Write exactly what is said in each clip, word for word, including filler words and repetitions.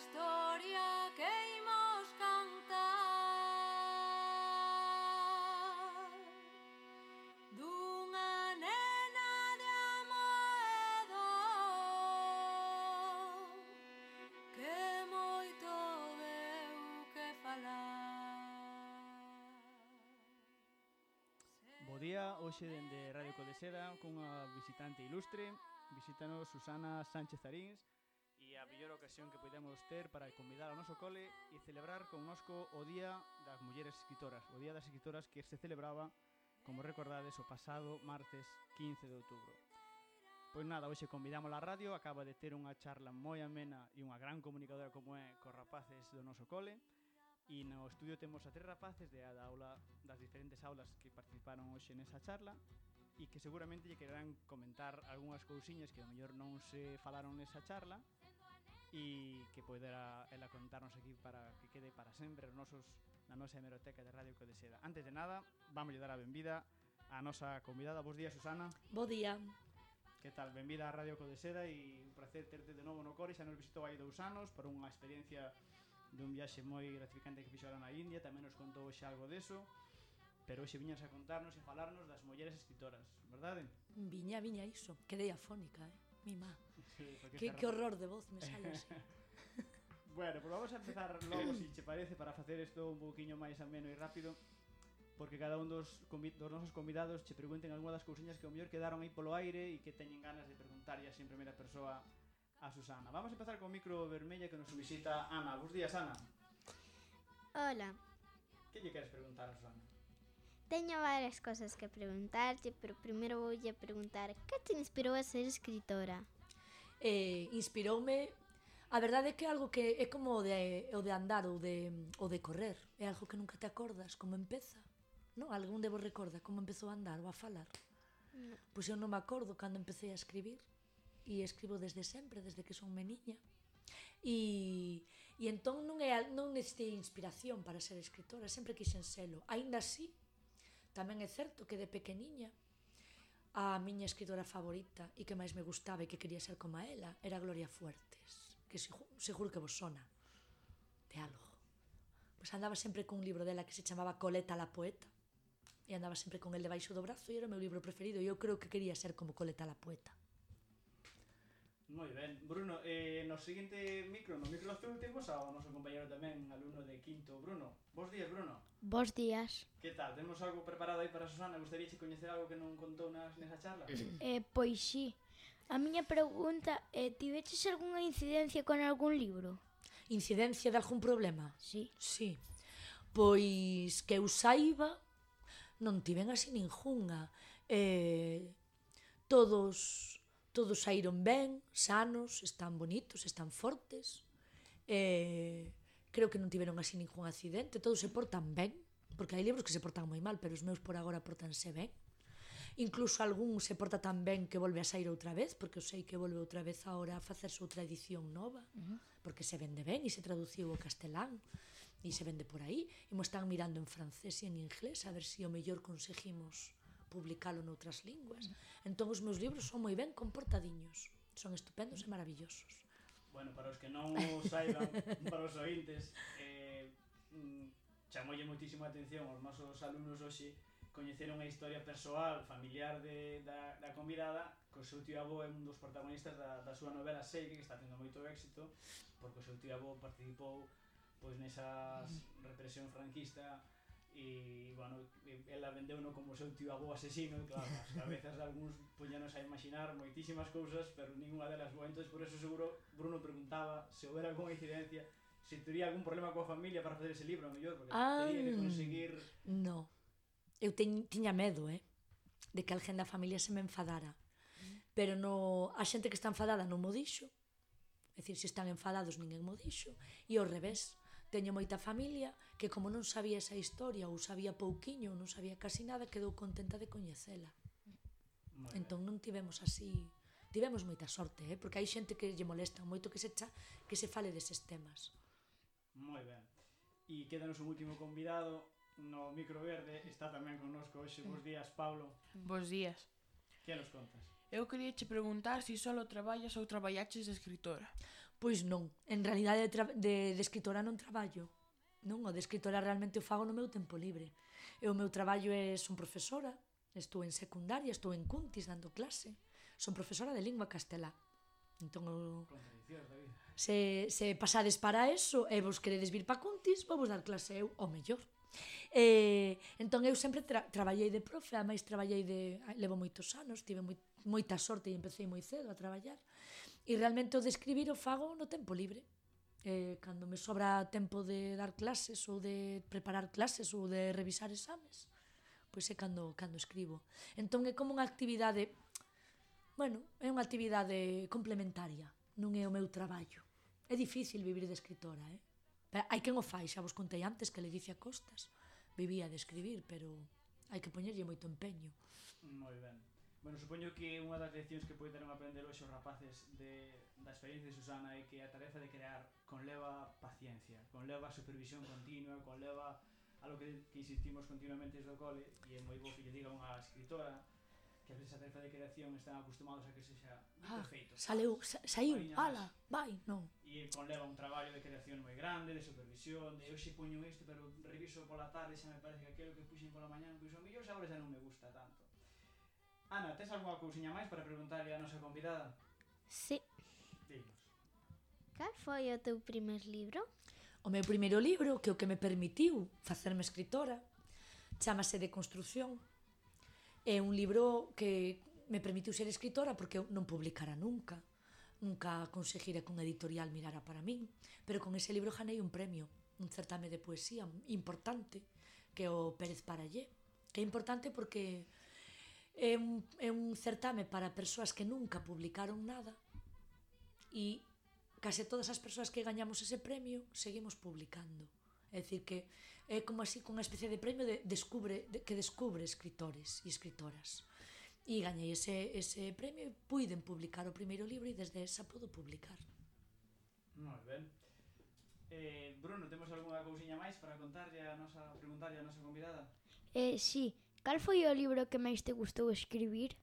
historia que imos cantar dunha nena de Amoedo que moito deu que falar. Bo día, hoxe dende Radio Codeseda cunha visitante ilustre. Visítanos Susana Sánchez Arins e a mellor ocasión que podemos ter para convidar ao noso cole e celebrar connosco o Día das Mulleres Escritoras, o Día das Escritoras que se celebraba, como recordades, o pasado martes quince de outubro. Pois nada, hoxe convidamos a radio, acaba de ter unha charla moi amena e unha gran comunicadora como é cos rapaces do noso cole. E no estudio temos a tres rapaces de a da aula, das diferentes aulas que participaron hoxe nesa charla e que seguramente lle quererán comentar algunhas cousiñas que ao mellor non se falaron nesa charla e que poderá ela contarnos aquí para que quede para sempre os nosos, na nosa hemeroteca de Radio Codeseda. Antes de nada, vamos dar a benvida á nosa convidada. Bos días, Susana. Bo día. Que tal? Benvida a Radio Codeseda e un placer terte de novo no cole. Xa nos visitou hai dous anos por unha experiencia dun viaxe moi gratificante que fixeron na India, tamén nos contou xa algo deso, pero hoxe viñas a contarnos e falarnos das mulleres escritoras, verdade? Viña, viña iso, quedei afónica, eh, mi má. Sí, que, que horror de voz me sale así. Bueno, pues vamos a empezar logo, se si che parece, para facer isto un pouquiño máis ameno e rápido, porque cada un dos, dos nosos convidados che pregunten algunha das cousiñas que ao mellor quedaron aí polo aire e que teñen ganas de preguntarlle así en primeira persoa a Susana. Vamos a empezar con o micro vermella que nos visita Ana. Bos días, Ana. Hola. Que lle queres preguntar a Susana? Teño varias cosas que preguntarte, pero primeiro voulle preguntar que te inspirou a ser escritora? Eh, inspiroume, a verdade é que é algo que é como o de, o de andar ou de, o de correr, é algo que nunca te acordas como empeza, non? Algún de vos recorda como empezou a andar ou a falar? No. Pois eu non me acordo cando empecé a escribir, e escribo desde sempre, desde que son meniña. E, e entón non, é, non necesitei inspiración para ser escritora, sempre quixen selo. Aínda así, tamén é certo que de pequeniña a miña escritora favorita e que máis me gustaba e que quería ser como a ela era Gloria Fuertes, que seguro que vos sona de algo. Pois andaba sempre con un libro dela que se chamaba Coleta la poeta e andaba sempre con el debaixo do brazo e era o meu libro preferido e eu creo que quería ser como Coleta la poeta. Moi ben. Bruno, eh, no seguinte micro, no micro azul temos ao noso compañero tamén, alumno de quinto, Bruno. Bos días, Bruno. Bos días. Que tal? Temos algo preparado aí para Susana? Gustaríache coñecer algo que non contou nas, nesa charla? Eh, pois sí. A miña pregunta é, tiveches algunha incidencia con algún libro? Incidencia de algún problema? Sí. Sí. Pois que eu saiba, non tiven así ningunha. Eh, todos... Todos saíron ben, sanos, están bonitos, están fortes. Eh, creo que non tiveron así ningún accidente, todos se portan ben, porque hai libros que se portan moi mal, pero os meus por agora portanse ben. Incluso algún se porta tan ben que volve a sair outra vez, porque eu sei que volve outra vez agora a facerse outra edición nova, uh-huh. porque se vende ben e se traduciu ao castelán e se vende por aí, e mo están mirando en francés e en inglés a ver se si o mellor conseguimos publicalo noutras linguas. Entón os meus libros son moi ben comportadiños, son estupendos e maravillosos. Bueno, para os que non o saiban, para os ointes, eh, chamoulle moitísimo a atención os nosos alumnos hoxe coñeceron a historia persoal, familiar de, da, da convidada, que o seu tío avó é un dos protagonistas da, da súa novela Seike, que está tendo moito éxito, porque o seu tío avó participou pois nesa represión franquista e, bueno, ela vendeu-no como o seu tío avó asesino e, claro, as cabezas de algúns puñanos a imaginar moitísimas cousas, pero ninguna delas boa. Entón, por eso seguro, Bruno preguntaba se houbera algunha incidencia, se tería algún problema coa familia para facer ese libro, a mellor, porque ah, tería que conseguir... No, eu teñ, tiña medo, eh, de que alguén da familia se me enfadara, pero no, a xente que está enfadada non mo dixo, é dicir, se están enfadados ninguén mo dixo, e ao revés. Teño moita familia que como non sabía esa historia ou sabía pouquiño ou non sabía casi nada, quedou contenta de coñecela. Entón non tivemos así, tivemos moita sorte, eh? Porque hai xente que lle molesta moito que se cha, que se fale deses temas. Moi ben. E quédanos un último convidado no micro verde, está tamén connosco hoxe. Bos días, Pablo. Bos días. Que nos contas? Eu quería che preguntar se si solo traballas ou traballaches de escritora. Pois non, en realidade de, tra- de, de escritora non traballo. Non, o de escritora realmente o fago no meu tempo libre. E o meu traballo é, son profesora, estou en secundaria, estou en Cuntis dando clase. Son profesora de lingua castelá. Entón, o, Contradiccións da vida. se, se pasades para eso e vos queredes vir pa Cuntis, vou vos dar clase eu, o mellor. E, entón, eu sempre tra traballei de profe, a máis traballei de... Levo moitos anos, tive moi, moita sorte e empecé moi cedo a traballar. E realmente o de escribir o fago no tempo libre. Eh, cando me sobra tempo de dar clases ou de preparar clases ou de revisar exames, pois é cando, cando escribo. Entón é como unha actividade, bueno, é unha actividade complementaria, non é o meu traballo. É difícil vivir de escritora, eh? Pero hai quen o fai, xa vos contei antes que Leticia Costas vivía de escribir, pero hai que poñerlle moito empeño. Moi ben. Bueno, supoño que unha das leccións que poden aprender hoxe os rapaces de, da experiencia de Susana é que a tarefa de crear conleva paciencia, conleva supervisión continua, conleva algo que, que insistimos continuamente desde o cole, e é moi bo que lle diga unha escritora que a veces a tarefa de creación están acostumados a que sexa Ah, perfeito. saleu, sa, saiu, Mariña, ala, vai, non. E conleva un traballo de creación moi grande, de supervisión, de hoxe poño isto, pero reviso pola tarde, xa me parece que aquilo que puxen pola mañán, pois o mellor xa agora xa non me gusta tanto. Ana, tes algunha cousiña máis para preguntarle a nosa convidada? Sí. Dinos. Cal foi o teu primer libro? O meu primeiro libro, que é o que me permitiu facerme escritora, chámase De Construción. É un libro que me permitiu ser escritora porque eu non publicara nunca. Nunca conseguira que un editorial mirara para min. Pero con ese libro ganei un premio, un certame de poesía importante, que é o Pérez Parallé. Que é importante porque é un, é un certame para persoas que nunca publicaron nada e case todas as persoas que gañamos ese premio seguimos publicando. É dicir que é como así, con unha especie de premio de descubre, de, que descubre escritores e escritoras. E gañei ese, ese premio e puiden publicar o primeiro libro e desde esa podo publicar. Moi ben. Eh, Bruno, temos algunha cousiña máis para contarlle a nosa, preguntarlle a nosa convidada? Eh, sí. Cal foi o libro que máis te gustou escribir?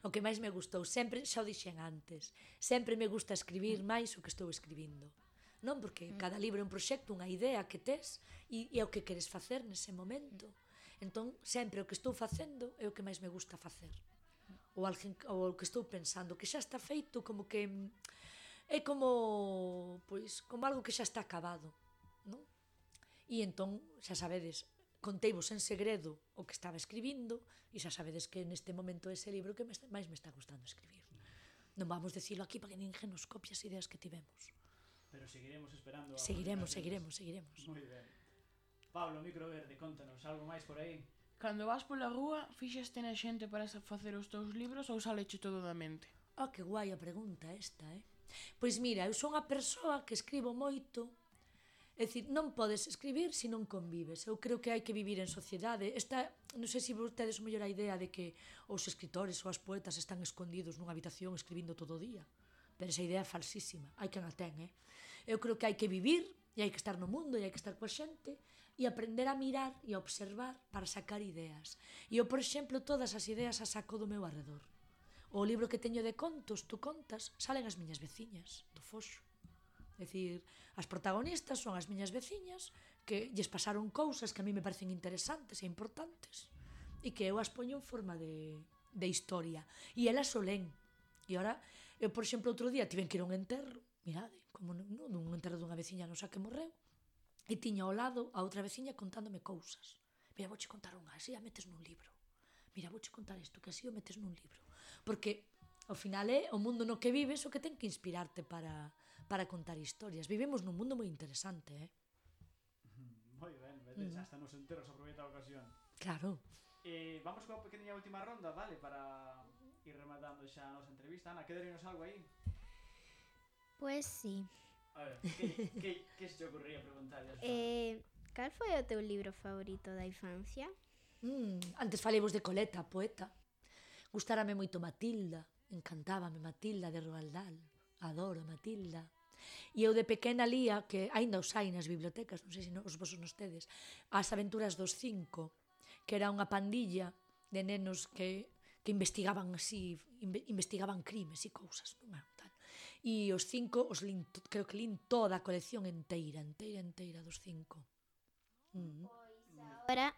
O que máis me gustou, sempre, xa o dixen antes, sempre me gusta escribir máis o que estou escribindo. Non porque cada libro é un proxecto, unha idea que tes e, e é o que queres facer nese momento. Entón, sempre o que estou facendo é o que máis me gusta facer. Ou, alguén, ou o que estou pensando, que xa está feito, como que é como, pois, como algo que xa está acabado, non? E entón, xa sabedes, conteivos en segredo o que estaba escribindo e xa sabedes que neste momento ese libro que me está, máis me está gustando escribir. Non vamos decirlo aquí para que ninguén nos copie as ideas que tivemos. Pero seguiremos esperando a Seguiremos, publicacións. seguiremos, seguiremos. Moi ben. Pablo, micro verde, contanos, algo máis por aí? Cando vas pola rúa, fixaste na xente para facer os teus libros ou saleche todo da mente? Oh, que guai a pregunta esta, eh? Pois mira, eu son a persoa que escribo moito. É dicir, non podes escribir se non convives. Eu creo que hai que vivir en sociedade. Esta, non sei se vos tedes mellor a idea de que os escritores ou as poetas están escondidos nunha habitación escribindo todo o día. Pero esa idea é falsísima. Hai quen a ten, eh? Eu creo que hai que vivir e hai que estar no mundo e hai que estar coa xente e aprender a mirar e a observar para sacar ideas. E eu, por exemplo, todas as ideas as saco do meu arredor. O libro que teño de contos, tú contas, salen as miñas veciñas do Foxo. É dicir, as protagonistas son as miñas veciñas que lles pasaron cousas que a mí me parecen interesantes e importantes e que eu as poño en forma de, de historia. E elas o len. E ora, eu, por exemplo, outro día tiven que ir a un enterro, mirade, como non, non, un enterro dunha veciña nosa que morreu, e tiña ao lado a outra veciña contándome cousas. Mira, vouche contar unha, así a metes nun libro. Mira, vouche contar isto, que así o metes nun libro. Porque, ao final, é o mundo no que vives o que ten que inspirarte para, para contar historias. Vivimos nun mundo moi interesante, eh? Moi ben, vedes, hasta nos enteros aproveita a ocasión. Claro. Eh, vamos coa pequena última ronda, vale? Para ir rematando xa a nosa entrevista. Ana, quedarínos algo aí? Pues sí. A ver, que, que, que se te ocurría preguntarlle? Eh, cal foi o teu libro favorito da infancia? Mm, antes falemos de Coleta, a poeta. Gustárame moito Matilda, encantábame Matilda de Roald Dahl. Adoro Matilda. E eu de pequena lía, que aínda os hai nas bibliotecas, non sei se os vos nos tedes, As aventuras dos cinco, que era unha pandilla de nenos que, que investigaban así, inve, investigaban crimes e cousas, non é? Tal. E os cinco, os lin, creo que lin toda a colección enteira, enteira, enteira dos cinco. Mm. Ahora,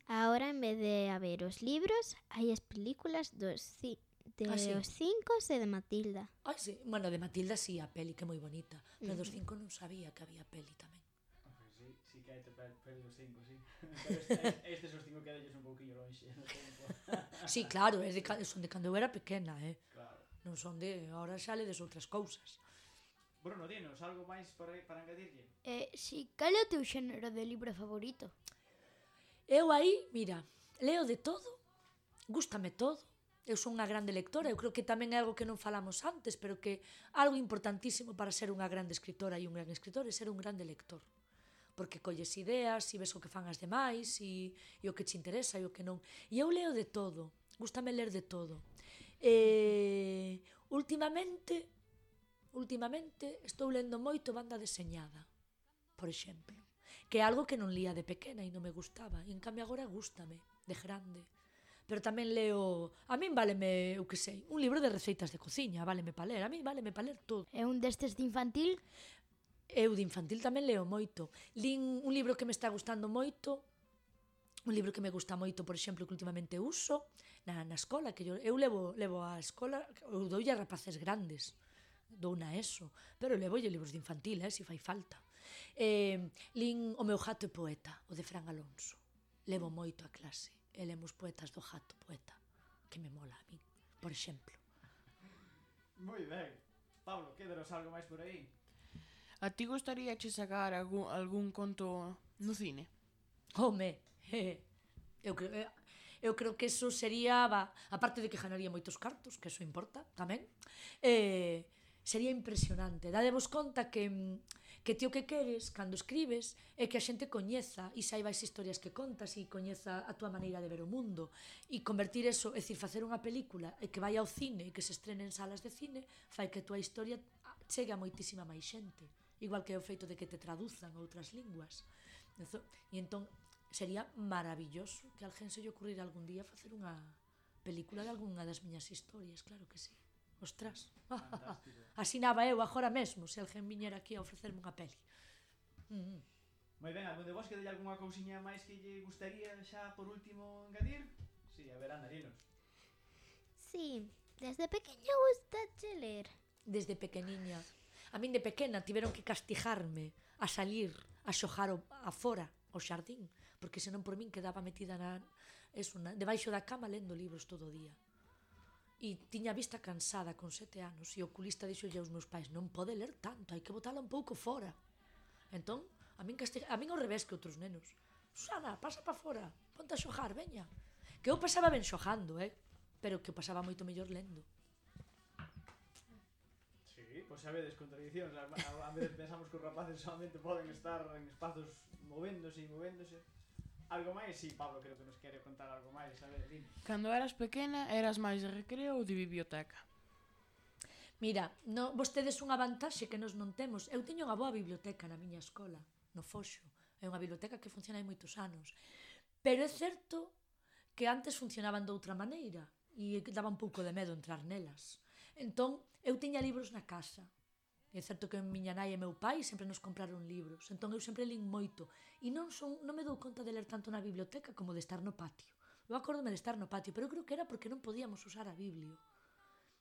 ahora en vez de haber os libros, hai as películas dos ci de Ah, sí. os cinco e de Matilda. Ai, sí. Bueno, de Matilda sí, a peli, que é moi bonita. Pero dos cinco non sabía que había peli tamén. Sí, sí que hai peli dos cinco, sí. Pero estes, estes os cinco quedelles un pouquinho lonxe no tempo. Sí, claro, é de, son de cando eu era pequena, eh? Claro. Non son de... Ahora xa ledes outras cousas. Bruno, dinos, algo máis para, para engadirlle? Eh, si, cal é o teu xénero de libro favorito? Eu aí, mira, leo de todo, gústame todo. Eu son unha grande lectora, eu creo que tamén é algo que non falamos antes, pero que algo importantísimo para ser unha grande escritora e un gran escritor é ser un grande lector. Porque colles ideas, e ves o que fan as demais, e, e o que te interesa e o que non. E eu leo de todo, gústame ler de todo. E, últimamente, últimamente estou lendo moito banda deseñada, por exemplo, que é algo que non lía de pequena e non me gustaba, e en cambio agora gústame, de grande. Pero tamén leo, a min váleme, eu que sei, un libro de receitas de cociña, váleme pa ler, a min váleme pa ler todo. É un destes de infantil? Eu de infantil tamén leo moito. Lin un libro que me está gustando moito, un libro que me gusta moito, por exemplo, que últimamente uso na, na escola, que eu, eu levo, levo a escola, eu doulle a rapaces grandes, dou na eso, pero levo libros de infantil, eh, se fai falta. Eh, lin O meu gato e poeta, o de Fran Alonso. Levo moito a clase. E lemos poetas do gato poeta, que me mola a min, por exemplo. Moi ben. Pablo, quédanos algo máis por aí? A ti gustaría che sacar algún, algún conto no cine? Home, eh, eu creo, eh, eu creo que eso sería, va, aparte de que ganaría moitos cartos, que eso importa tamén, eh, sería impresionante. Dadevos conta que que ti o que queres cando escribes é que a xente coñeza e saiba as historias que contas e coñeza a túa maneira de ver o mundo, e convertir eso, é dicir, facer unha película e que vai ao cine e que se estrene en salas de cine fai que a túa historia chegue a moitísima máis xente, igual que o feito de que te traduzan a outras linguas. E entón sería maravilloso que a alguén se lle ocurrira algún día facer unha película de algunha das miñas historias, claro que sí. Ostras, asinaba eu agora mesmo se alguén viñera aquí a ofrecerme unha peli. Mm. Moi ben, algún de vos que delle algunha cousiña máis que lle gustaría xa por último engadir? Si, sí, a ver, Ana, dinos. Sí, desde pequeña gustache ler. Desde pequeniña. A min de pequena tiveron que castigarme a salir a xogar a fora, ao xardín, porque senón por min quedaba metida na, eso, na, debaixo da cama lendo libros todo o día. E tiña a vista cansada con sete anos e o oculista dixolle aos meus pais: non pode ler tanto, hai que botala un pouco fora. Entón, a min, castiga, a min ao revés que outros nenos: Susana, pasa pa fora, ponte a xogar, veña. Que eu pasaba ben xogando, eh? Pero que eu pasaba moito mellor lendo. Sí, pois xa vedes contradicións. A, a, a veces pensamos que os rapaces solamente poden estar en espazos movéndose e movéndose. Algo máis? Sí, Pablo creo que nos quere contar algo máis. A ver, dime. Cando eras pequena, eras máis de recreo ou de biblioteca? Mira, no, vostedes unha vantaxe que nos non temos. Eu teño unha boa biblioteca na miña escola, no Foxo. É unha biblioteca que funciona hai moitos anos. Pero é certo que antes funcionaban de outra maneira e daba un pouco de medo entrar nelas. Entón, eu tiña libros na casa. É certo que miña nai e meu pai sempre nos compraron libros, entón eu sempre lin moito. E non, son, non me dou conta de ler tanto na biblioteca como de estar no patio. Eu acórdome de estar no patio, pero eu creo que era porque non podíamos usar a Biblia.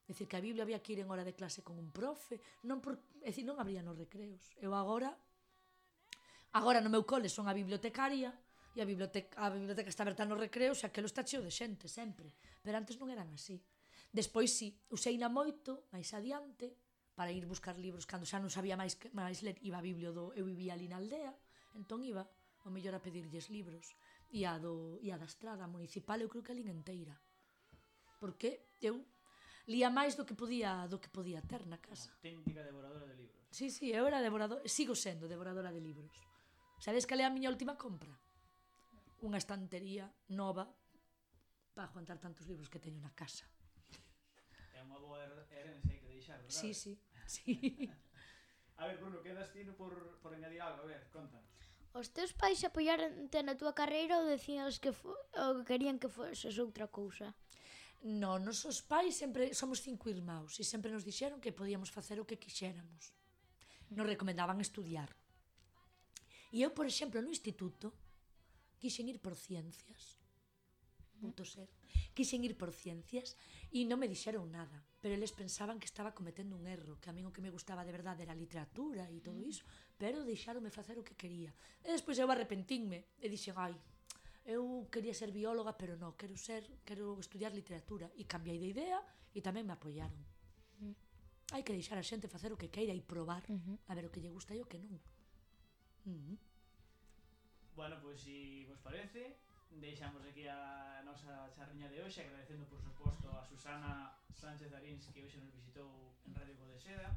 É dicir, que a Biblia había que ir en hora de clase con un profe, non por, é dicir, non habría nos recreos. Eu agora, agora no meu cole son a bibliotecaria, e a biblioteca, a biblioteca está aberta nos recreos, e aquilo está cheo de xente, sempre. Pero antes non eran así. Despois, si, useina moito, máis adiante, para ir buscar libros, cando xa non sabía máis, máis ler, iba a Biblio do... Eu vivía ali na aldea, entón iba ao mellor a pedirlles libros. E a, do, e a da estrada municipal eu creo que a lin enteira. Porque eu lía máis do que podía do que podía ter na casa. Auténtica devoradora de libros. Sí, sí, eu era devorador, sigo sendo devoradora de libros. Sabes cal é a miña última compra? Unha estantería nova para aguantar tantos libros que teño na casa. É unha boa herencia que deixar, verdade? Sí, sí, sí. A ver, Bruno, quedas ti por, por engadir algo? A ver, contanos. Os teus pais apoiaronte na túa carreira ou decían que, fo, ou querían que foses outra cousa? No, nosos pais sempre somos cinco irmãos e sempre nos dixeron que podíamos facer o que quixéramos. Nos recomendaban estudiar. E eu, por exemplo, no instituto quixen ir por ciencias. Puto ser. Quixen ir por ciencias e non me dixeron nada, pero eles pensaban que estaba cometendo un erro, que a min o que me gustaba de verdade era a literatura e todo iso, pero deixaronme facer o que quería. E despois eu arrepentinme e dixen, ai, eu quería ser bióloga, pero non, quero ser, quero estudiar literatura. E cambiei de idea e tamén me apoiaron. Hai que deixar a xente facer o que queira e probar a ver o que lle gusta e o que non. Uh-huh. Bueno, pois, se vos parece, deixamos aquí a nosa charriña de hoxe, agradecendo, por suposto, a Susana Sánchez Arins, que hoxe nos visitou en Radio Codeseda,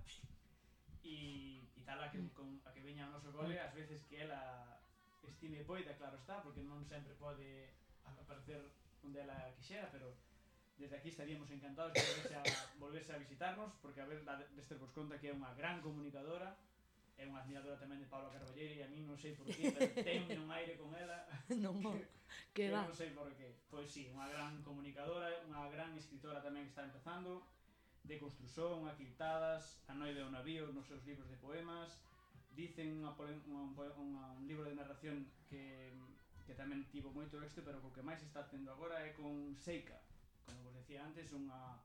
e, e tal a que, con, a que veña ao noso cole, ás veces que ela estime poida, claro está, porque non sempre pode aparecer onde ela quixera, pero desde aquí estaríamos encantados de volverse a, volverse a visitarnos, porque a ver, deste vos conta que é unha gran comunicadora, é unha admiradora tamén de Paula Carballeira, e a mí non sei por qué, pero ten un aire con ela Non, que, que que va. non sei por qué. Pois sí, unha gran comunicadora, unha gran escritora tamén que está empezando, de construción, aquiltadas, A noite do navío, nos seus libros de poemas. Dicen unha, unha, unha, un libro de narración que, que tamén tivo moito éxito, pero o que máis está tendo agora é con Seika, como vos decía antes, unha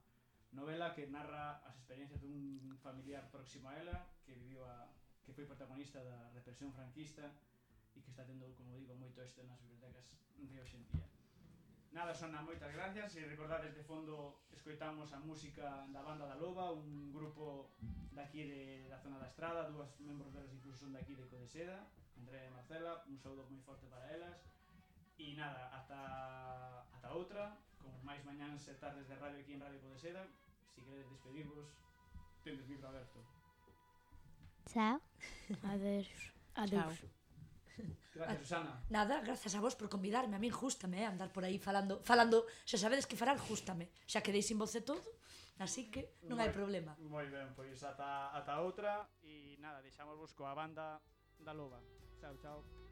novela que narra as experiencias dun familiar próximo a ela, que viviu a que foi protagonista da represión franquista e que está tendo, como digo, moito éxito nas bibliotecas de hoxe en día. Nada, Sona, moitas gracias, e recordades de fondo escoitamos a música da Banda da Loba, un grupo daqui de, da zona da Estrada, dúas membros delas incluso son daqui de Codeseda, Andrea e Marcela, un saúdo moi forte para elas, e nada, ata, ata outra, con máis mañáns e tardes de radio aquí en Radio Codeseda. Se queredes despedirvos, tendes micro aberto. Chao. Adeus. Adeus. Gracias, Susana. Nada, gracias a vos por convidarme. A min jústame, eh, andar por aí falando, falando, xa sabedes que falar jústame. Xa quedei sin voz e todo, así que non hai problema. Moi ben, pois ata, ata outra, e nada, deixámosvos coa Banda da Loba. Chao, chao.